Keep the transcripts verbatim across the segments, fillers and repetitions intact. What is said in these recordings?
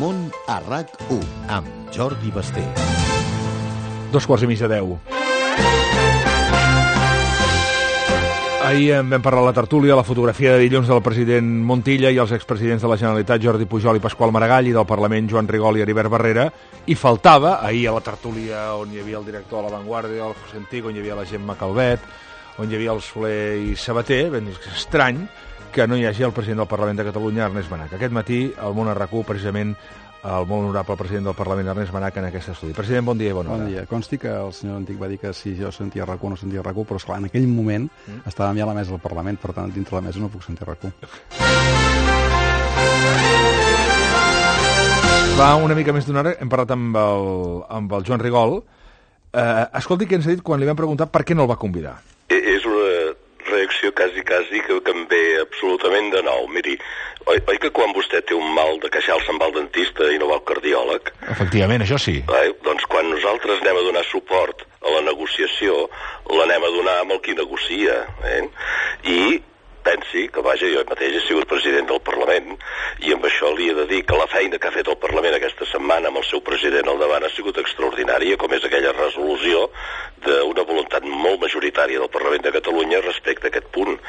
Amunt a RAC u, amb Jordi Basté. Dos quarts i mig de deu. Ahir en vam parlar a la tertúlia, la fotografia de dilluns del president Montilla i els expresidents de la Generalitat, Jordi Pujol i Pasqual Maragall, i del Parlament, Joan Rigol i Heribert Barrera, i faltava, ahir a la tertúlia on hi havia el director de La Vanguardia, el José Antico, on hi havia la Gemma Calvet, on hi havia el Soler i Sabater, ben és estrany que no hi hagi el president del Parlament de Catalunya, Ernest Benach. Aquest matí, al Món a RAC u, precisament, el molt honorable president del Parlament, Ernest Benach, en aquest estudi. President, bon dia i bona hora. Bon dia. Consti que el senyor Antic va dir que si jo sentia RAC u o no sentia RAC u, però esclar, en aquell moment mm. estàvem ja a la mesa del Parlament, per tant, dintre la mesa no puc sentir RAC u. Va, una mica més d'una hora, hem parlat amb el, amb el Joan Rigol. Eh, escolti què ens ha dit quan li vam preguntar per què no el va convidar. És una reacció quasi, quasi que, que em ve absolutament de nou. Miri, oi, oi que quan vostè té un mal de queixal se'n va al dentista i no va al cardiòleg? Efectivament, això sí. Eh? Doncs quan nosaltres anem a donar suport a la negociació, l'anem a donar amb el qui negocia. Eh? I pensi que, vaja, jo mateix he sigut president del Parlament i amb això li he de dir que la feina que ha fet el Parlament aquesta setmana amb el seu president al davant ha sigut extraordinària, com és aquella resolució d'una voluntat molt majoritària del Parlament de Catalunya respecte a aquest punt.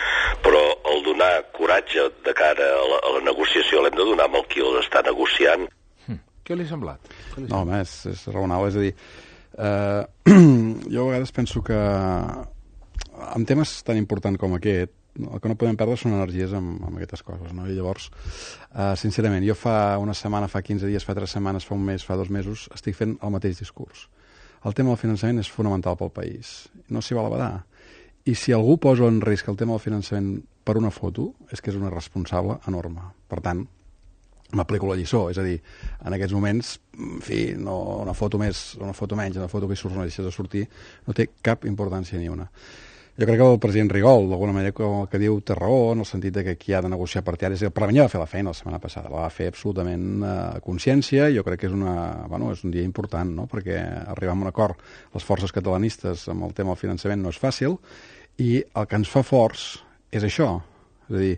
Però el donar coratge de cara a la, a la negociació l'hem de donar amb el qui el està negociant. Hm. Què li ha semblat? Què li ha semblat? No, home, és, és raonable. És a dir, eh, jo a vegades penso que en temes tan importants com aquest, el que no podem perdre són energies amb, amb aquestes coses, no? I llavors, uh, sincerament, jo fa una setmana, fa quinze dies, fa tres setmanes, fa un mes, fa dos mesos, estic fent el mateix discurs. El tema del finançament és fonamental pel país. No s'hi val a badar. I si algú posa en risc el tema del finançament per una foto, és que és una responsable enorme. Per tant, m'aplico la lliçó. És a dir, en aquests moments, en fi, no, una foto més, una foto menys, una foto que hi surts o no deixes de sortir, no té cap importància ni una. Jo crec que el president Rigol, d'alguna manera, el que diu té raó, en el sentit de que qui ha de negociar per terra, el Parlament ja va fer la feina la setmana passada, la va fer absolutament a eh, consciència, jo crec que és, una, bueno, és un dia important, no? Perquè arribar a un acord les forces catalanistes amb el tema del finançament no és fàcil, i el que ens fa forts és això, és a dir,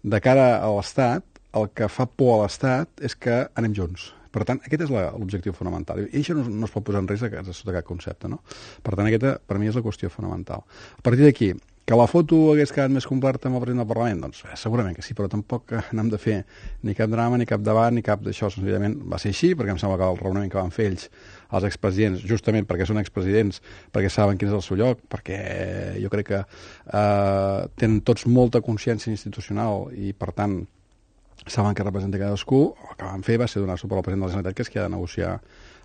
de cara a l'Estat, el que fa por a l'Estat és que anem junts. Per tant, aquest és l'objectiu fonamental. I això no, no es pot posar en risc sota cap concepte, no? Per tant, aquesta, per mi, és la qüestió fonamental. A partir d'aquí, que la foto hagués quedat més completa amb el president del Parlament? Doncs eh, segurament que sí, però tampoc n'hem de fer ni cap drama, ni cap debat, ni cap d'això. Senzillament va ser així, perquè em sembla que el raonament que van fer ells, els expresidents, justament perquè són expresidents, perquè saben quin és el seu lloc, perquè jo crec que eh, tenen tots molta consciència institucional i, per tant, saben que representa cadascú. El que van fer va ser donar suport al president de la Generalitat, que és qui ha de negociar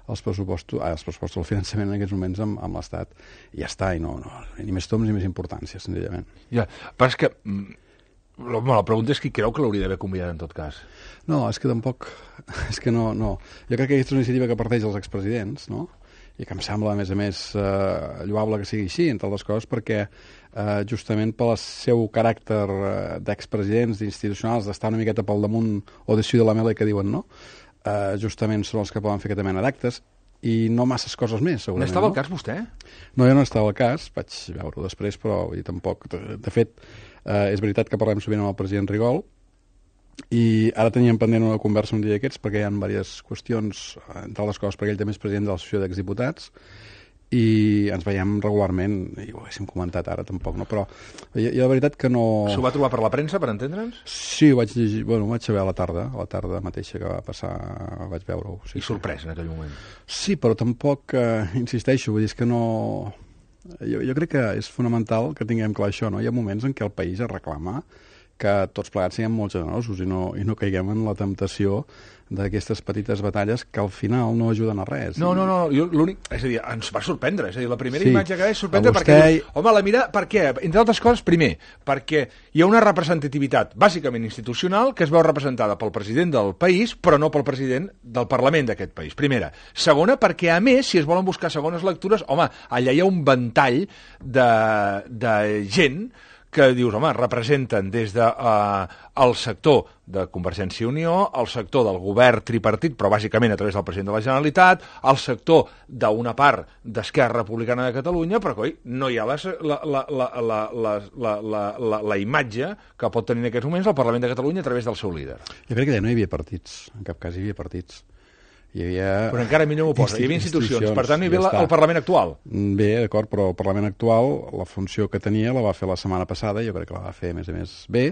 els pressupostos, ah, els pressupostos del finançament en aquests moments amb, amb l'Estat. I ja està, i no, no, ni més toms ni més importància, senzillament. Ja, però és que la, la pregunta és qui creu que l'hauria d'haver convidat en tot cas. No, és que tampoc, és que no, no. Jo crec que aquesta és una iniciativa que parteix dels expresidents, no? I que em sembla, a més a més, eh, lloable que sigui així, entre altres coses, perquè eh, justament pel seu caràcter eh, d'expresidents, d'institucionals, d'estar una miqueta pel damunt o de de la mele que diuen, no? Eh, justament són els que poden fer aquesta mena d'actes i no masses coses més, segurament. N'estava no? al cas, vostè? No, jo no estava al cas, vaig veure-ho després, però vull dir, tampoc. De, de fet, eh, és veritat que parlem sovint amb el president Rigol, i ara teníem pendent una conversa un dia d'aquests perquè hi ha diverses qüestions, entre les coses perquè ell també és president de l'associació d'exdiputats i ens veiem regularment, i ho haguéssim comentat ara tampoc, no? Però jo, jo la veritat que no... S'ho va trobar per la premsa, per entendre'ns? Sí, ho vaig llegir, bueno, ho vaig saber a la tarda, a la tarda mateixa que va passar, vaig veure-ho. Sí, I sorprès en aquell moment. Sí, però tampoc, eh, insisteixo, vull dir, és que no... Jo, jo crec que és fonamental que tinguem clar això, no? Hi ha moments en què el país es reclama que tots plegats siguem molt generosos i no, i no caiguem en la temptació d'aquestes petites batalles que al final no ajuden a res. No, no, no, jo l'únic... És a dir, ens va sorprendre, és a dir, la primera sí, imatge que és sorprendre vostè... perquè dius, home, la mira, per què? Entre altres coses, primer, perquè hi ha una representativitat bàsicament institucional que es veu representada pel president del país, però no pel president del Parlament d'aquest país. Primera. Segona, perquè a més, si es volen buscar segones lectures, home, allà hi ha un ventall de, de gent que dius, home, representen des del de, uh, sector de Convergència i Unió, el sector del govern tripartit, però bàsicament a través del president de la Generalitat, el sector d'una part d'Esquerra Republicana de Catalunya, però coi, no hi ha les, la, la, la, la, la, la, la, la, la imatge que pot tenir en aquests moments el Parlament de Catalunya a través del seu líder. Jo crec que ja no hi havia partits, en cap cas hi havia partits. Hi havia... Però encara millor m'ho posa. Hi havia institucions. Per tant, hi havia ja el Parlament actual. Bé, d'acord, però el Parlament actual, la funció que tenia la va fer la setmana passada, jo crec que la va fer, a més a més, bé,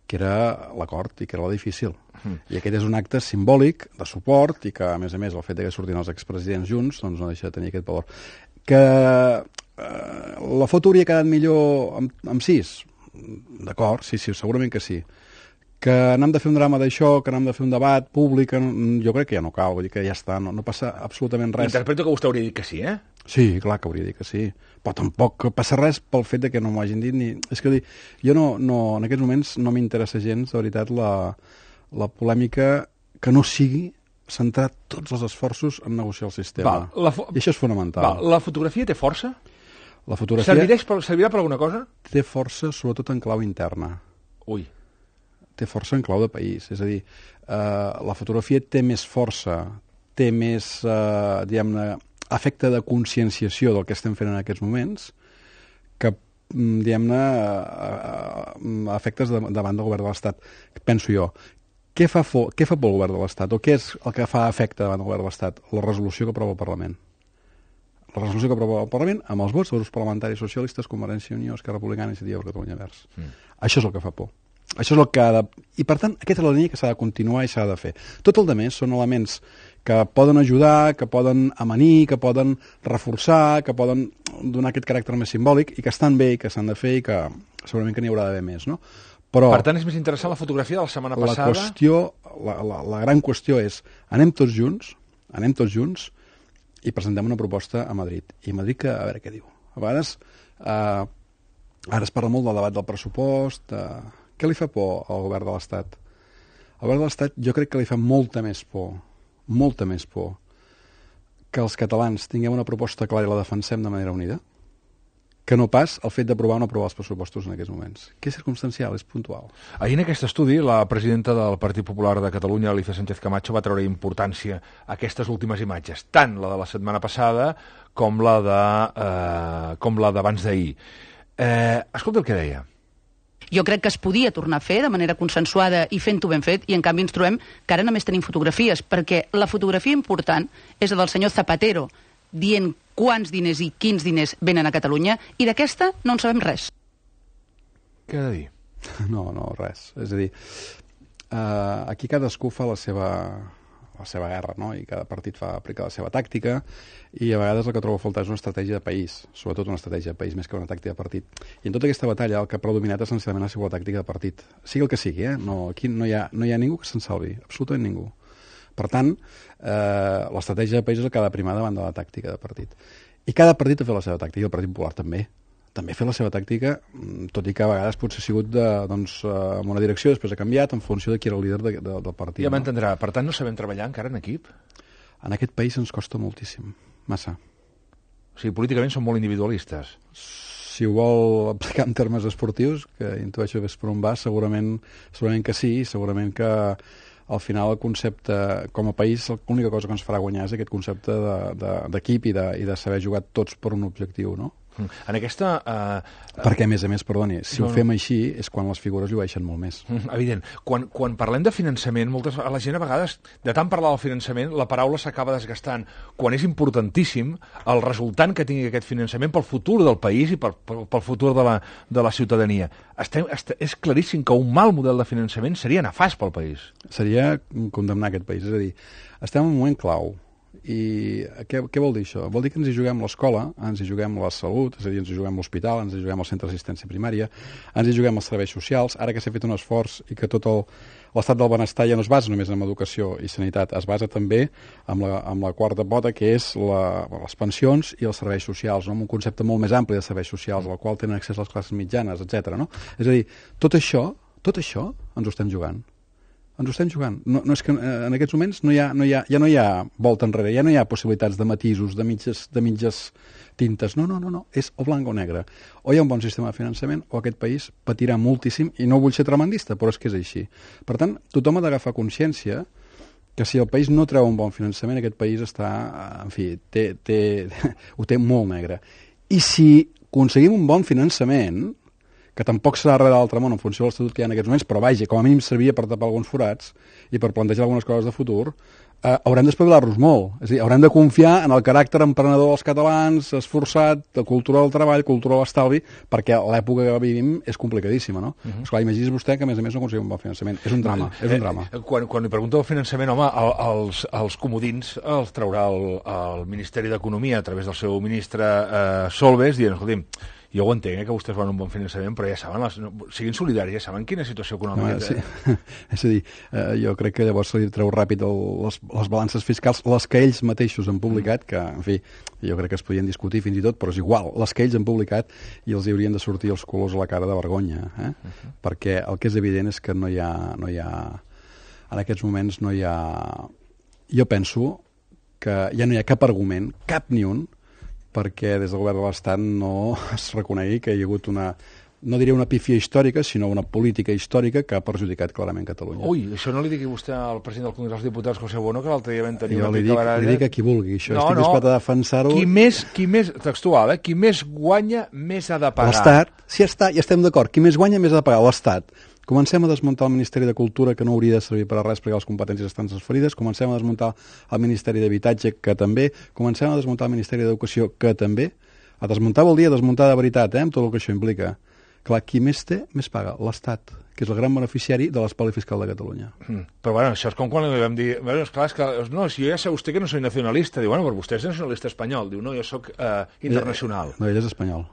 que era l'acord i que era la difícil. Mm. I aquest és un acte simbòlic de suport i que, a més a més, el fet que surtin els expresidents junts doncs no deixa de tenir aquest valor. Que eh, la foto hauria quedat millor amb, amb sis? D'acord, sí, sí, segurament que sí. Que n'hem de fer un drama d'això, que n'hem de fer un debat públic, jo crec que ja no cal, vull dir que ja està, no, no passa absolutament res. Interpreto que vostè hauria dit que sí, eh? Sí, clar que hauria dit que sí, però tampoc passa res pel fet de que no m'ho hagin dit ni... És que dir, jo no, no, en aquests moments no m'interessa gens, de veritat, la, la polèmica que no sigui centrar tots els esforços en negociar el sistema. Val, la fo... I això és fonamental. Val, la fotografia té força? La fotografia... Servireix per, servirà per alguna cosa? Té força, sobretot en clau interna. Ui. Té força en clau de país. És a dir, eh, la fotografia té més força, té més, eh, diguem-ne, efecte de conscienciació del que estem fent en aquests moments que, diguem-ne, eh, efectes de, davant del govern de l'Estat. Penso jo. Què fa, fo, què fa pel govern de l'Estat? O què és el que fa efecte davant del govern de l'Estat? La resolució que aprova el Parlament. La resolució que aprova el Parlament amb els vots dels grups parlamentaris socialistes, Convergència i Unió, Esquerra Republicana i Iniciativa per Catalunya Verds. Mm. Això és el que fa por. Això és el que ha de... I, per tant, aquesta és la línia que s'ha de continuar i s'ha de fer. Tot el demés són elements que poden ajudar, que poden amanir, que poden reforçar, que poden donar aquest caràcter més simbòlic i que estan bé i que s'han de fer i que segurament que n'hi haurà d'haver més, no? Però per tant, és més interessant la fotografia de la setmana passada? La qüestió, la, la, la gran qüestió és anem tots junts, anem tots junts i presentem una proposta a Madrid. I a Madrid, que, a veure què diu. A vegades, eh, ara es parla molt del debat del pressupost... Eh, què li fa por al govern de l'Estat? Al govern de l'Estat jo crec que li fa molta més por, molta més por, que els catalans tinguem una proposta clara i la defensem de manera unida, que no pas el fet d'aprovar o no aprovar els pressupostos en aquests moments. Que és circumstancial, és puntual. Ahir en aquest estudi, la presidenta del Partit Popular de Catalunya, Alicia Sánchez Camacho, va treure importància a aquestes últimes imatges, tant la de la setmana passada com la de, eh, com la d'abans d'ahir. Eh, escolta el que deia. Jo crec que es podia tornar a fer de manera consensuada i fent-ho ben fet, i en canvi ens trobem que ara només tenim fotografies, perquè la fotografia important és la del senyor Zapatero, dient quants diners i quins diners venen a Catalunya, i d'aquesta no en sabem res. Què ha de dir? No, no, res. És a dir, uh, aquí cadascú fa la seva, la seva guerra, no? I cada partit fa aplicar la seva tàctica, i a vegades el que trobo a faltar és una estratègia de país, sobretot una estratègia de país més que una tàctica de partit. I en tota aquesta batalla el que ha predominat essencialment ha sigut la tàctica de partit. Sigui el que sigui, eh? No, aquí no hi ha, no hi ha ningú que se'n salvi, absolutament ningú. Per tant, eh, l'estratègia de país és el que ha de primar davant de la tàctica de partit. I cada partit ha fet la seva tàctica, i el Partit Popular també. També ha fet la seva tàctica, tot i que a vegades potser ha sigut de, doncs, en una direcció, després ha canviat en funció de qui era el líder de, de, del partit. Ja m'entendrà. No? Per tant, no sabem treballar encara en equip? En aquest país ens costa moltíssim. Massa. O sigui, políticament són molt individualistes. Si ho vol aplicar en termes esportius, que intueixo que és per on va, segurament, segurament que sí, segurament que al final el concepte, com a país, l'única cosa que ens farà guanyar és aquest concepte d'equip de, de, i, de, i de saber jugar tots per un objectiu, no? En aquesta... Uh, Perquè, a més a més, perdoni, si no, ho fem així és quan les figures llueixen molt més. Evident. Quan, quan parlem de finançament, moltes, a la gent a vegades, de tant parlar del finançament, la paraula s'acaba desgastant. Quan és importantíssim el resultant que tingui aquest finançament pel futur del país i pel, pel, pel futur de la, de la ciutadania. Estem, est, és claríssim que un mal model de finançament seria nefast pel país. Seria condemnar aquest país. És a dir, estem en un moment clau. I què, què vol dir això? Vol dir que ens hi juguem l'escola, ens hi juguem la salut, és a dir, ens hi juguem l'hospital, ens hi juguem el centre d'assistència primària, ens hi juguem els serveis socials, ara que s'ha fet un esforç i que tot l'estat del benestar ja no es basa només en educació i sanitat, es basa també amb la, amb la quarta pota, que és la, les pensions i els serveis socials, no? Amb un concepte molt més ampli de serveis socials, al qual tenen accés les classes mitjanes, etcètera. No? És a dir, tot això, tot això ens ho estem jugant. Ens ho estem jugant. No, no és que en aquests moments no hi ha, no hi ha, ja no hi ha volta enrere, ja no hi ha possibilitats de matisos, de mitges, de mitges tintes. No, no, no, no, és o blanc o negre. O hi ha un bon sistema de finançament o aquest país patirà moltíssim, i no vull ser tremendista, però és que és així. Per tant, tothom ha d'agafar consciència que si el país no treu un bon finançament, aquest país està, en fi, té, té, ho té molt negre. I si aconseguim un bon finançament, que tampoc serà res de l'altre món en funció de l'Estatut que hi ha en aquests moments, però vaja, com a mínim servia per tapar alguns forats i per plantejar algunes coses de futur, eh, haurem d'espavilar-nos molt. És a dir, haurem de confiar en el caràcter emprenedor dels catalans, esforçat, de cultura del treball, cultura de l'estalvi, perquè l'època que vivim és complicadíssima, no? Uh -huh. Esclar, imagini's vostè que, a més a més, no aconseguim un bon finançament. És un drama, és un drama. Eh, quan, quan li pregunto el finançament, home, el, els, els comodins els traurà el, el Ministeri d'Economia a través del seu ministre eh, Solbes, dient, escolti'm, jo ho entenc, eh, que vostès volen un bon finançament, però ja saben, les, no, siguin solidaris, ja saben quina situació econòmica no, sí. És a dir, eh, jo crec que llavors se li treu ràpid el, les, les balances fiscals, les que ells mateixos han publicat, que, en fi, jo crec que es podien discutir fins i tot, però és igual, les que ells han publicat i els hi haurien de sortir els colors a la cara de vergonya, eh? Uh-huh. Perquè el que és evident és que no hi ha, no hi ha, en aquests moments no hi ha, jo penso que ja no hi ha cap argument, cap ni un, perquè des del govern de l'Estat no es reconegui que hi ha hagut una, no diria una pífia històrica, sinó una política històrica que ha perjudicat clarament Catalunya. Ui, això no li digui vostè al president del Congrés dels Diputats, José Bono, que l'altre dia vam tenir jo una li dic, baralla. li dic a qui vulgui, això. No, Estic no. disposat a defensar-ho. Qui més, qui més, textual, eh? Qui més guanya, més ha de pagar. L'Estat, sí, està, ja estem d'acord, qui més guanya, més ha de pagar, l'Estat. Comencem a desmuntar el Ministeri de Cultura, que no hauria de servir per a res perquè les competències estan transferides, comencem a desmuntar el Ministeri d'Habitatge, que també, comencem a desmuntar el Ministeri d'Educació, que també. A desmuntar vol dir a desmuntar de veritat, eh, amb tot el que això implica. Clar, qui més té, més paga, l'Estat, que és el gran beneficiari de l'espoli fiscal de Catalunya. Mm. Però bueno, això és com quan li vam dir, bueno, és clar, és que, no, si jo ja sé vostè que no soy nacionalista, diu, bueno, però vostè és nacionalista espanyol, diu, no, jo sóc eh, internacional. No, ell és espanyol.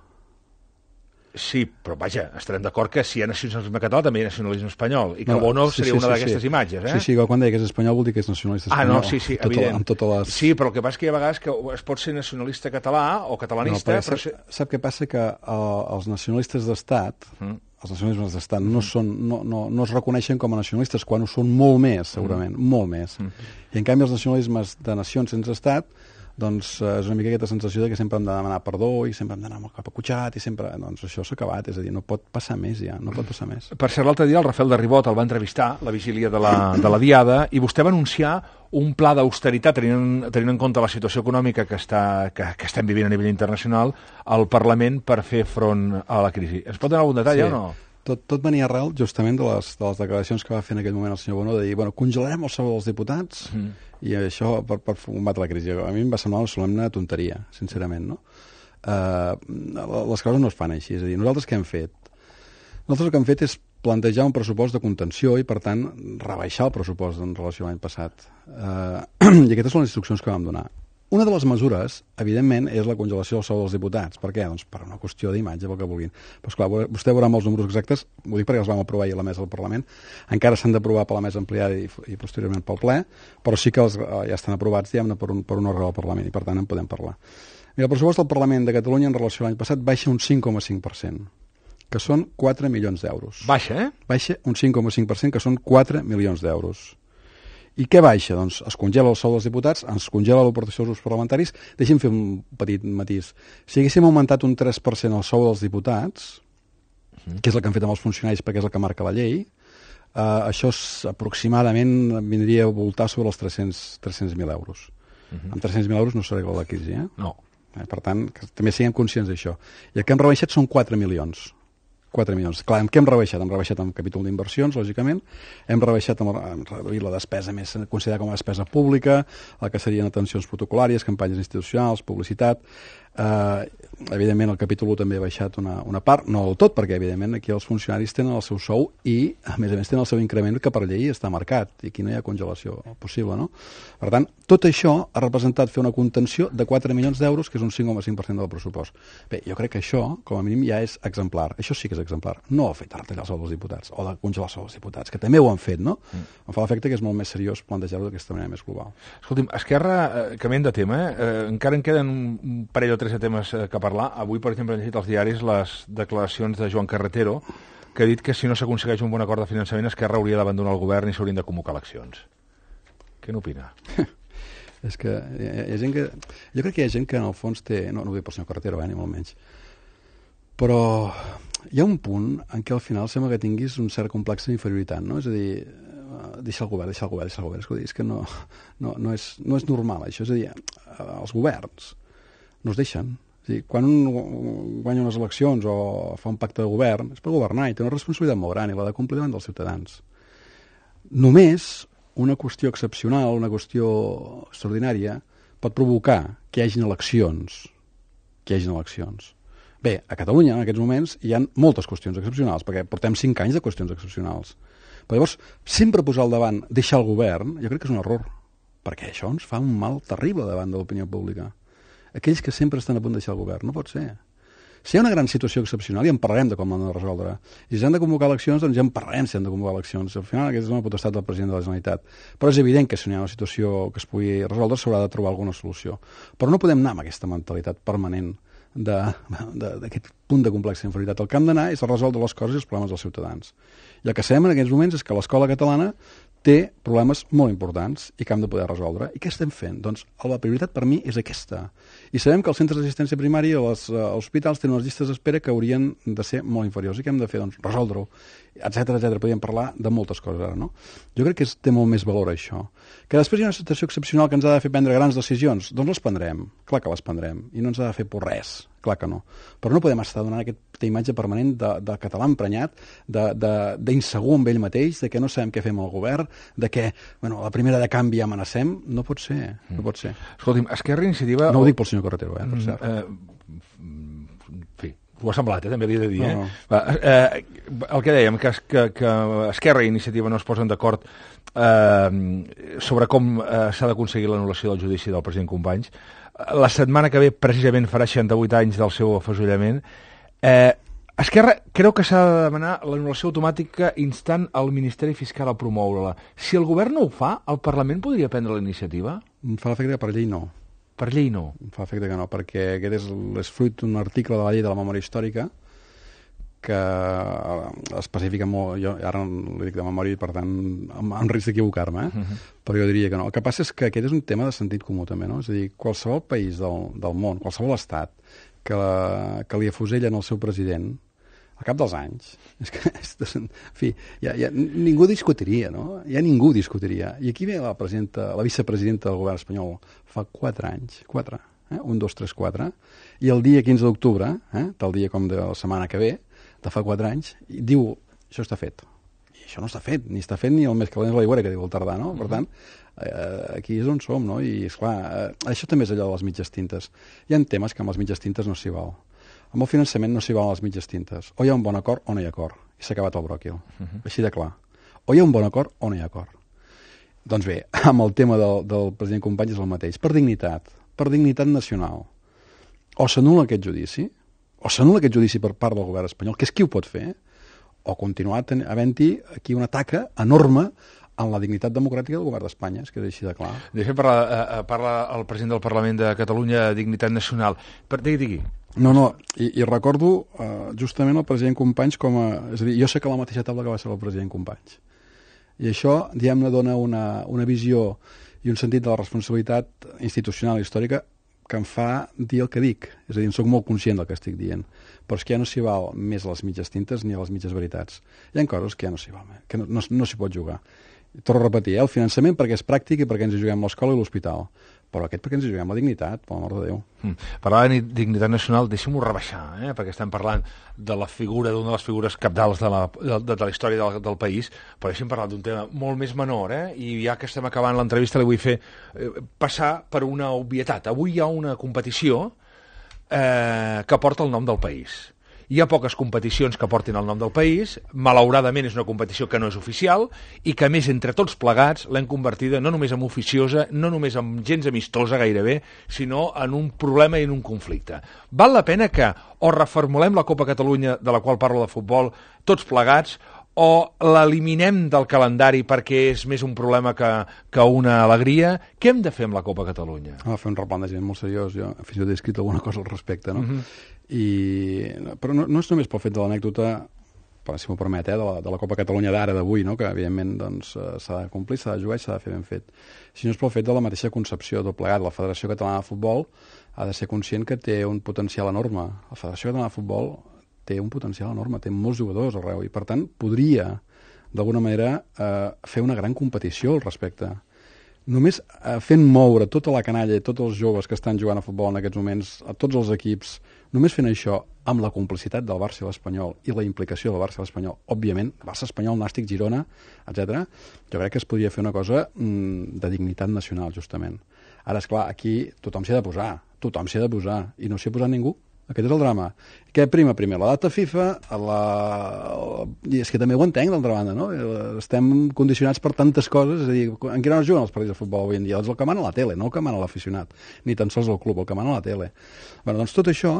Sí, però vaja, estarem d'acord que si hi ha nacionalisme català també hi ha nacionalisme espanyol, i que no, Bono sí, seria sí, una sí, d'aquestes sí. imatges, eh? Sí, sí, quan deia que és espanyol vol dir que és nacionalista espanyol. Ah, no, sí, sí, tot evident. El, amb totes les... Sí, però el que passa és que hi ha vegades que es pot ser nacionalista català o catalanista, no, però... Sap, sap què passa? Que uh, els nacionalistes d'estat, mm. els nacionalismes d'estat no, són, no, no, no es reconeixen com a nacionalistes, quan ho són molt més, segurament, mm. molt més. Mm. I en canvi els nacionalismes de nacions sense estat, doncs eh, és una mica aquesta sensació de que sempre hem de demanar perdó i sempre hem d'anar molt capacutxat i sempre, doncs això s'ha acabat, és a dir, no pot passar més ja, no pot passar més. Per cert, l'altre dia el Rafael de Ribot el va entrevistar, la vigília de la, de la Diada, i vostè va anunciar un pla d'austeritat, tenint, tenint en compte la situació econòmica que, està, que, que estem vivint a nivell internacional, al Parlament per fer front a la crisi. Ens pot donar algun detall sí. o no? Tot, tot venia arrel justament de les, de les declaracions que va fer en aquell moment el senyor Bono, de dir, bueno, congelarem el sou dels diputats mm. i això per, per combatre la crisi. A mi em va semblar una solemne tonteria, sincerament, no? Uh, les coses no es fan així, és a dir, nosaltres què hem fet? Nosaltres el que hem fet és plantejar un pressupost de contenció i, per tant, rebaixar el pressupost en relació a l'any passat. Uh, I aquestes són les instruccions que vam donar. Una de les mesures, evidentment, és la congelació del sou dels diputats. Per què? Doncs per una qüestió d'imatge, pel que vulguin. Però, esclar, vostè veurà amb els números exactes, ho dic perquè els vam aprovar ahir a la mesa del Parlament, encara s'han d'aprovar per la mesa ampliada i, i posteriorment pel ple, però sí que els, ja estan aprovats, diguem-ne, per un, per un òrgan del Parlament, i per tant en podem parlar. Mira, el pressupost del Parlament de Catalunya en relació a l'any passat baixa un cinc coma cinc per cent, que són quatre milions d'euros. Baixa, eh? Baixa un cinc coma cinc per cent, que són quatre milions d'euros. I què baixa? Doncs es congela el sou dels diputats, es congela l'aportació dels grups parlamentaris. Deixi'm fer un petit matís. Si haguéssim augmentat un tres per cent el sou dels diputats, uh-huh. que és el que han fet amb els funcionaris perquè és el que marca la llei, eh, això és, aproximadament vindria a voltar sobre els tres-cents mil euros. Uh-huh. Amb tres-cents mil euros no s'arregla la crisi, eh? No. Eh, per tant, que també siguem conscients d'això. I el que hem rebaixat són quatre milions. quatre milions. Clar, què hem rebaixat? Hem rebaixat amb capítol d'inversions, lògicament, hem rebaixat amb, hem reduït la despesa més considerada com a despesa pública, el que serien atencions protocolàries, campanyes institucionals, publicitat. Eh, evidentment, el capítol u també ha baixat una, una part, no del tot, perquè, evidentment, aquí els funcionaris tenen el seu sou i, a més a més, tenen el seu increment que per llei està marcat, i aquí no hi ha congelació possible, no? Per tant, tot això ha representat fer una contenció de quatre milions d'euros, que és un cinc coma cinc per cent del pressupost. Bé, jo crec que això, com a mínim, ja és exemplar. Això sí que és exemplar. No el fet de retallar el sou dels diputats, o de congelar el sou dels diputats, que també ho han fet, no? Mm. Em fa l'efecte que és molt més seriós plantejar-ho d'aquesta manera més global. Escolti'm, Esquerra, eh, canviant de tema, eh? eh, encara en queden un parell o tres de temes eh, que parlar. Avui, per exemple, he llegit als diaris les declaracions de Joan Carretero, que ha dit que si no s'aconsegueix un bon acord de finançament, Esquerra hauria d'abandonar el govern i s'haurien de convocar eleccions. Què n'opina? És que hi ha, hi ha gent que... Jo crec que hi ha gent que en el fons té... No, no ho dic pel senyor Carretero, eh, ni molt menys. Però hi ha un punt en què al final sembla que tinguis un cert complex d'inferioritat, no? És a dir, deixa el govern, deixa el govern, deixa el govern. És que no, no, no, és, no és normal, això. És a dir, els governs no es deixen. És a dir, quan un guanya unes eleccions o fa un pacte de govern, és per governar i té una responsabilitat molt gran i l'ha de complir davant dels ciutadans. Només una qüestió excepcional, una qüestió extraordinària, pot provocar que hi hagin eleccions. Que hi hagin eleccions. Bé, a Catalunya, en aquests moments, hi ha moltes qüestions excepcionals, perquè portem cinc anys de qüestions excepcionals. Però llavors, sempre posar al davant, deixar el govern, jo crec que és un error, perquè això ens fa un mal terrible davant de l'opinió pública. Aquells que sempre estan a punt de deixar el govern, no pot ser. Si hi ha una gran situació excepcional, ja en parlarem de com l'han de resoldre. I si s'han de convocar eleccions, doncs ja en parlarem si han de convocar eleccions. Al final, aquesta és una potestat del president de la Generalitat. Però és evident que si no hi ha una situació que es pugui resoldre, s'haurà de trobar alguna solució. Però no podem anar amb aquesta mentalitat permanent d'aquest punt de complexa inferioritat. El que hem d'anar és a resoldre les coses i els problemes dels ciutadans. I el que sabem en aquests moments és que l'escola catalana té problemes molt importants i que hem de poder resoldre. I què estem fent? Doncs la prioritat per mi és aquesta. I sabem que els centres d'assistència primària i els uh, hospitals tenen unes llistes d'espera que haurien de ser molt inferiors. I què hem de fer? Doncs resoldre-ho, etcètera, etcètera. Podríem parlar de moltes coses ara, no? Jo crec que és, té molt més valor això. Que després hi ha una situació excepcional que ens ha de fer prendre grans decisions. Doncs les prendrem, clar que les prendrem. I no ens ha de fer por res, clar que no. Però no podem estar donant aquesta imatge permanent de, de català emprenyat, d'insegur amb ell mateix, de que no sabem què fem al govern, de que, bueno, a la primera de canvi ja amenacem. No pot ser, no pot ser. Escolti'm, Esquerra Iniciativa... No ho dic pel senyor Carretero, eh, per cert. Eh, en fi, ho ha semblat, eh, també li he de dir. No, no. Eh? Va, eh, el que dèiem, que, que, que Esquerra i Iniciativa no es posen d'acord eh, sobre com eh, s'ha d'aconseguir l'anul·lació del judici del president Companys. La setmana que ve, precisament, farà seixanta-vuit anys del seu afuselament. Eh, Esquerra creu que s'ha de demanar l'anul·lació automàtica instant al Ministeri Fiscal a promoure-la. Si el govern no ho fa, el Parlament podria prendre la iniciativa? Em fa l'efecte que per llei no. Per llei no? Em fa l'efecte que no, perquè aquest és, és fruit d'un article de la llei de la memòria històrica que especifica molt, jo ara li dic de memòria i per tant amb, amb risc d'equivocar-me, eh? Uh-huh. Però jo diria que no. El que passa és que aquest és un tema de sentit comú també, no? És a dir, qualsevol país del, del món, qualsevol estat que, la, que li afusellen el seu president al cap dels anys, és que, és, en fi, ja, ja, ningú discutiria, no? Ja ningú discutiria. I aquí ve la, presidenta, la vicepresidenta del govern espanyol fa quatre anys, quatre, eh? un, dos, tres, quatre, i el dia quinze d'octubre, eh? tal dia com de la setmana que ve, de fa quatre anys, i diu, això està fet. I això no està fet, ni està fet ni el més calent és l'aigüera, que diu el tardà, no? Per tant, eh, aquí és on som, no? I, esclar, eh, això també és allò de les mitges tintes. Hi ha temes que amb les mitges tintes no s'hi val. Amb el finançament no s'hi valen les mitges tintes. O hi ha un bon acord o no hi ha acord. I s'ha acabat el bròquil. Uh-huh. Així de clar. O hi ha un bon acord o no hi ha acord. Doncs bé, amb el tema del, del president Companys és el mateix. Per dignitat. Per dignitat nacional. O s'anul·la aquest judici, o s'anul·la aquest judici per part del govern espanyol, que és qui ho pot fer, o continuar havent-hi aquí una taca enorme en la dignitat democràtica del govern d'Espanya, és que és així de clar. De fet, parla, eh, parla el president del Parlament de Catalunya de dignitat nacional. Per, digui, digui. No, no, i, i recordo uh, justament el president Companys com a... És a dir, jo sé que a la mateixa taula que va ser el president Companys. I això, diguem-ne, dona una, una visió i un sentit de la responsabilitat institucional i històrica que em fa dir el que dic. És a dir, em soc molt conscient del que estic dient. Però és que ja no s'hi val més a les mitges tintes ni a les mitges veritats. Hi ha coses que ja no s'hi val, que no, no, no s'hi pot jugar. Torno a repetir, eh? El finançament perquè és pràctic i perquè ens hi juguem l'escola i l'hospital. Però aquest perquè ens hi juguem la dignitat, per l'amor de Déu. Mm. Parlar de dignitat nacional, deixem-ho rebaixar, eh? Perquè estem parlant de la figura, d'una de les figures cabdals de la, de, de la història del, del país, però deixem parlar d'un tema molt més menor, eh? I ja que estem acabant l'entrevista li vull fer eh, passar per una obvietat. Avui hi ha una competició eh, que porta el nom del país. Hi ha poques competicions que portin el nom del país, malauradament és una competició que no és oficial i que, a més, entre tots plegats, l'hem convertida no només en oficiosa, no només en gens amistosa gairebé, sinó en un problema i en un conflicte. Val la pena que o reformulem la Copa Catalunya, de la qual parlo de futbol, tots plegats, o l'eliminem del calendari perquè és més un problema que, que una alegria? Què hem de fer amb la Copa Catalunya? Ha de fer un replantejament molt seriós. Jo fins i tot he escrit alguna cosa al respecte, no? Uh-huh. I, però no, no és només pel fet de l'anècdota, si m'ho permet, eh, de, la, de la Copa Catalunya d'ara, d'avui, no? Que evidentment doncs, s'ha de complir, s'ha de jugar i s'ha de fer ben fet, sinó és pel fet de la mateixa concepció tot plegat. La Federació Catalana de Futbol ha de ser conscient que té un potencial enorme. La Federació Catalana de Futbol té un potencial enorme, té molts jugadors arreu i per tant podria d'alguna manera eh, fer una gran competició al respecte. només eh, fent moure tota la canalla i tots els joves que estan jugant a futbol en aquests moments, a tots els equips, només fent això amb la complicitat del Barça i l'Espanyol i la implicació del Barça i l'Espanyol, òbviament, Barça, Espanyol, Nàstic, Girona, etcètera, jo crec que es podria fer una cosa mm, de dignitat nacional, justament. Ara, esclar, aquí tothom s'hi ha de posar, tothom s'hi ha de posar, i no s'hi ha posat ningú. Aquest és el drama. Què prima primer? La data FIFA, la... i és que també ho entenc, d'altra banda, no? Estem condicionats per tantes coses, és a dir, en quina hora juguen els partits de futbol avui en dia? És el que mana la tele, no el que mana l'aficionat, ni tan sols el club, el que mana la tele. Bé, doncs tot això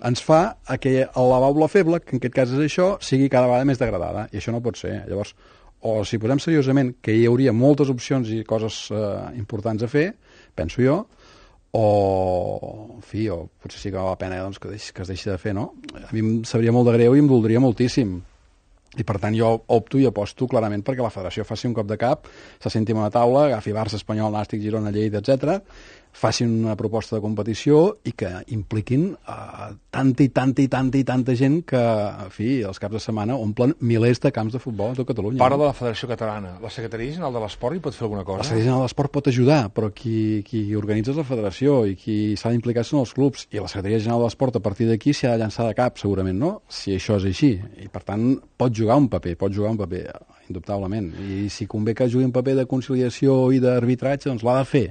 ens fa que la baula feble, que en aquest cas és això, sigui cada vegada més degradada, i això no pot ser. Llavors, o si posem seriosament que hi hauria moltes opcions i coses eh, importants a fer, penso jo, o, en fi, o potser sí que val la pena doncs, que, deix, que es deixi de fer, no? A mi em sabria molt de greu i em doldria moltíssim. I per tant jo opto i aposto clarament perquè la federació faci un cop de cap, se senti a una taula, agafi Barça, Espanyol, Nàstic, Girona, Lleida, etcètera, facin una proposta de competició i que impliquin uh, tanta i tanta i tanta i tanta gent que, en fi, els caps de setmana omplen milers de camps de futbol a tot Catalunya. Parla de la Federació Catalana. La Secretaria General de l'Esport hi pot fer alguna cosa? La Secretaria General de l'Esport pot ajudar, però qui, qui organitza és la federació i qui s'ha d'implicar són els clubs. I la Secretaria General de l'Esport a partir d'aquí s'ha de llançar de cap, segurament, no? Si això és així. I, per tant, pot jugar un paper, pot jugar un paper, indubtablement. I si convé que jugui un paper de conciliació i d'arbitratge, doncs l'ha de fer.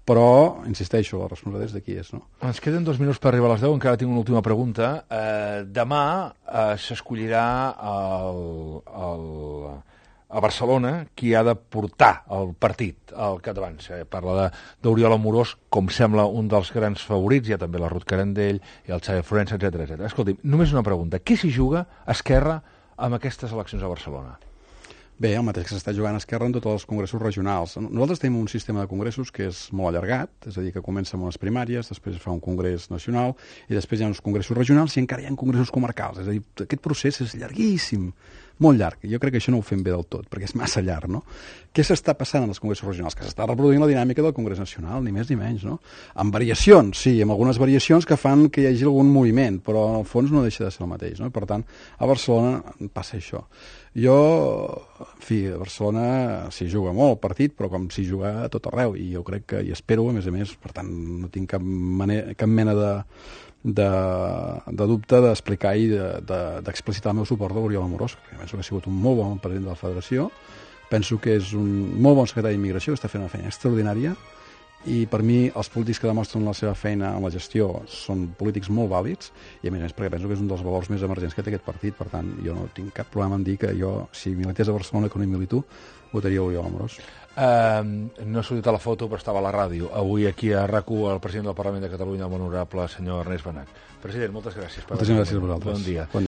Però, insisteixo, la responsabilitat és de qui és, no? Ens queden dos minuts per arribar a les deu, encara tinc una última pregunta. Eh, demà eh, s'escollirà el, el, a Barcelona qui ha de portar el partit al capdavant. Eh, parla d'Oriol Amorós, com sembla un dels grans favorits, hi ha també la Ruth Carandell, i el Xavi Florença, etcètera, etcètera. Escolti, només una pregunta. Què s'hi juga Esquerra amb aquestes eleccions a Barcelona? Bé, el mateix que s'està jugant a Esquerra en tots els congressos regionals. Nosaltres tenim un sistema de congressos que és molt allargat, és a dir, que comença amb unes primàries, després fa un congrés nacional, i després hi ha uns congressos regionals i encara hi ha congressos comarcals. És a dir, aquest procés és llarguíssim, molt llarg. Jo crec que això no ho fem bé del tot, perquè és massa llarg, no? Què s'està passant en els congressos regionals? Que s'està reproduint la dinàmica del Congrés Nacional, ni més ni menys, no? Amb variacions, sí, amb algunes variacions que fan que hi hagi algun moviment, però en el fons no deixa de ser el mateix, no? Per tant, a Barcelona passa això. Jo, en fi, a Barcelona s'hi juga molt el partit, però com s'hi juga a tot arreu, i jo crec que hi espero, a més a més, per tant, no tinc cap, manera, cap mena de, de, de dubte d'explicar i d'explicitar de, de, el meu suport a l'Oriol Amorós, que penso que ha sigut un molt bon president de la federació, penso que és un molt bon secretari d'Immigració, que està fent una feina extraordinària, i per mi els polítics que demostren la seva feina en la gestió són polítics molt vàlids, i a més a més perquè penso que és un dels valors més emergents que té aquest partit. Per tant, jo no tinc cap problema en dir que jo, si milités a Barcelona que no hi milito, votaria l'Oriol Amorós. Uh, no ha sortit a la foto, però estava a la ràdio. Avui aquí a RAC u el president del Parlament de Catalunya, el molt honorable senyor Ernest Benach. President, moltes gràcies. Moltes gràcies a vosaltres. Bon dia. Bon